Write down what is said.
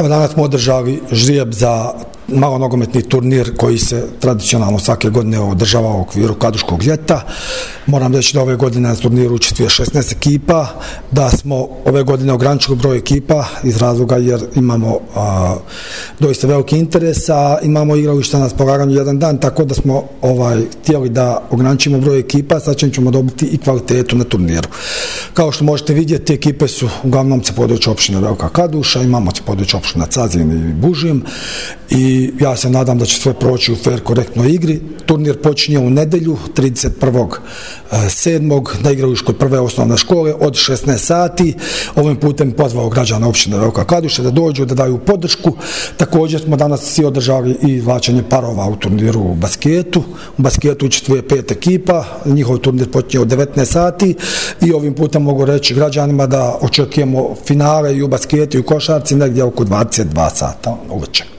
Evo, danas smo održali žrijeb za malonogometni turnir koji se tradicionalno svake godine održava u okviru Kladuškog ljeta. Moram reći da ove godine na turniru učestvuje 16 ekipa, da smo ove godine ograničili broj ekipa iz razloga jer imamo doista veliki interes, a imamo igrališta na raspolaganju jedan dan, tako da smo htjeli da ograničimo broj ekipa, sad ćemo dobiti i kvalitetu na turniru. Kao što možete vidjeti, ekipe su uglavnom sa područja opštine Velika Kladuša, imamo sa područja opština Cazin i Bužim i ja se nadam da će sve proći u fair, korektnoj igri. Turnir počinje u nedjelju 31.7. na igralištu kod prve osnovne škole od 16 sati. Ovim putem pozvao građana opštine Velika Kladuša da dođu, da daju podršku. Također smo danas svi održali i vlačenje parova u turniru u basketu. U basketu učestvuje 5 ekipa, njihov turnir počinje od 19 sati i ovim putem mogu reći građanima da očekujemo finale i u basketu i u košarci negdje oko 22 sata uveče.